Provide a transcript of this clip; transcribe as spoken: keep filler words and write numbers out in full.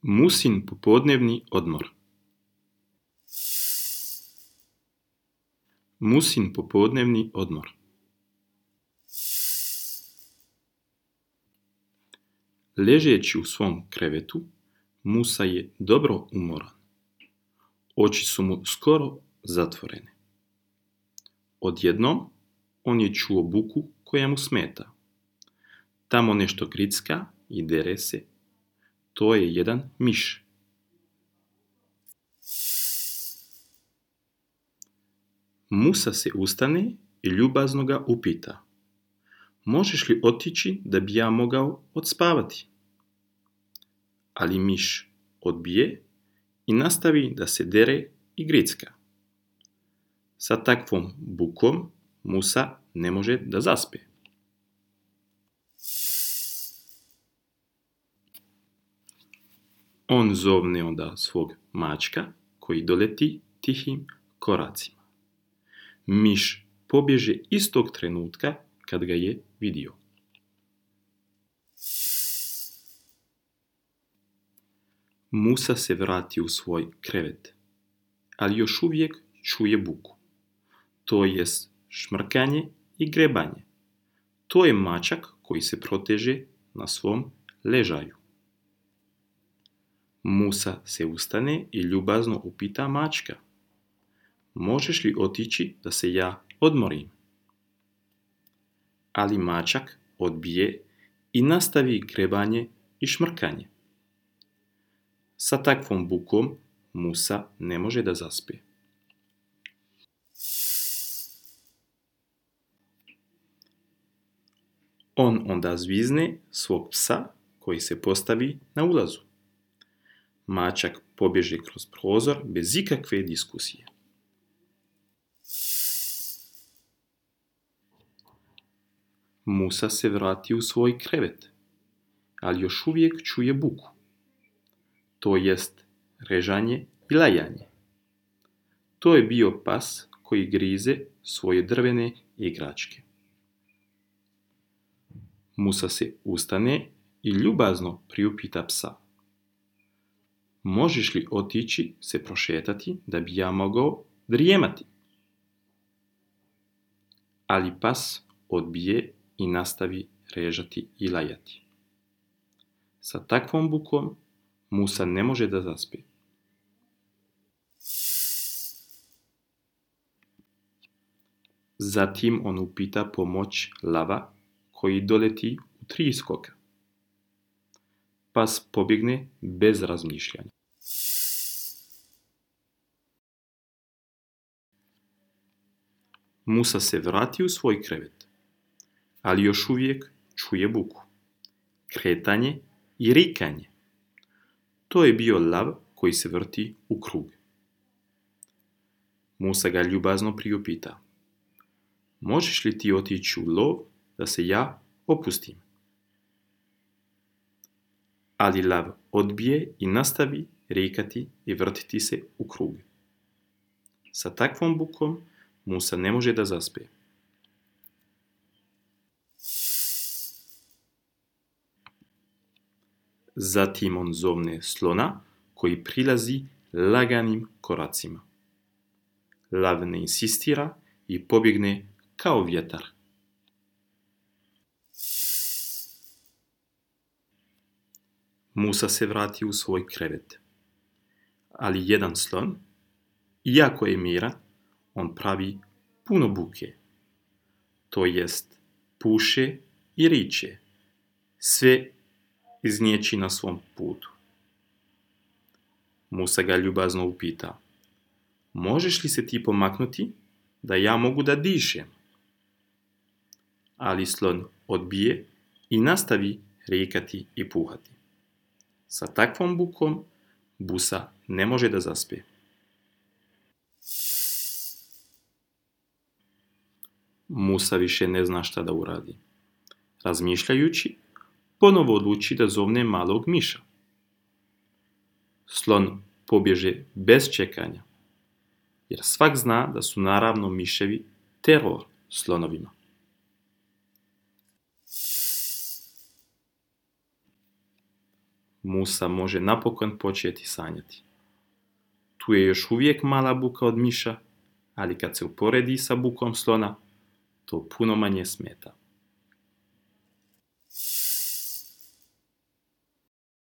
Musin popodnevni odmor. Musin popodnevni odmor. Ležeći u svom krevetu, Musa je dobro umoran. Oči su mu skoro zatvorene. Odjednom, on je čuo buku koja mu smeta. Tamo nešto gricka i dere se. To je jedan miš. Musa se ustane i ljubazno ga upita: možeš li otići da bi ja mogao odspavati? Ali miš odbije i nastavi da se dere i gricka. Sa takvom bukom Musa ne može da zaspe. On zovne onda svog mačka koji doleti tihim koracima. Miš pobježe istog trenutka kad ga je vidio. Musa se vrati u svoj krevet, ali još uvijek čuje buku. To jest šmrkanje i grebanje. To je mačak koji se proteže na svom ležaju. Musa se ustane i ljubazno upita mačka: možeš li otići da se ja odmorim? Ali mačak odbije i nastavi grebanje i šmrkanje. Sa takvom bukom Musa ne može da zaspe. On onda zvizne svog psa koji se postavi na ulazu. Mačak pobježe kroz prozor bez ikakve diskusije. Musa se vrati u svoj krevet, ali još uvijek čuje buku. To jest režanje i lajanje. To je bio pas koji grize svoje drvene igračke. Musa se ustane i ljubazno priupita psa: možeš li otići se prošetati da bi ja mogao drijemati? Ali pas odbije i nastavi režati i lajati. Sa takvom bukom Musa ne može da zaspe. Zatim on upita pomoć lava koji doleti u tri skoka. Pas pobjegne bez razmišljanja. Musa se vrati u svoj krevet, ali još uvijek čuje buku, kretanje i rikanje. To je bio lav koji se vrti u krug. Musa ga ljubazno priupita: možeš li ti otići u lov da se ja opustim? Ali lav odbije i nastavi rikati i vrtiti se u krug. Sa takvom bukom Musa ne može da zaspe. Zatim on zovne slona koji prilazi laganim koracima. Lav ne insistira i pobjegne kao vjetar. Musa se vrati u svoj krevet, ali jedan slon, iako je miran, on pravi puno buke. To jest puše i riče, sve iznječi na svom putu. Musa ga ljubazno upita: možeš li se ti pomaknuti da ja mogu da dišem? Ali slon odbije i nastavi rikati i puhati. Sa takvom bukom Musa ne može da zaspe. Musa više ne zna šta da uradi. Razmišljajući, ponovo odluči da zovne malog miša. Slon pobježe bez čekanja, jer svak zna da su naravno miševi teror slonovima. Musa može napokon početi sanjati. Tu je još uvijek mala buka od miša, ali kad se uporedi sa bukom slona, to puno manje smeta.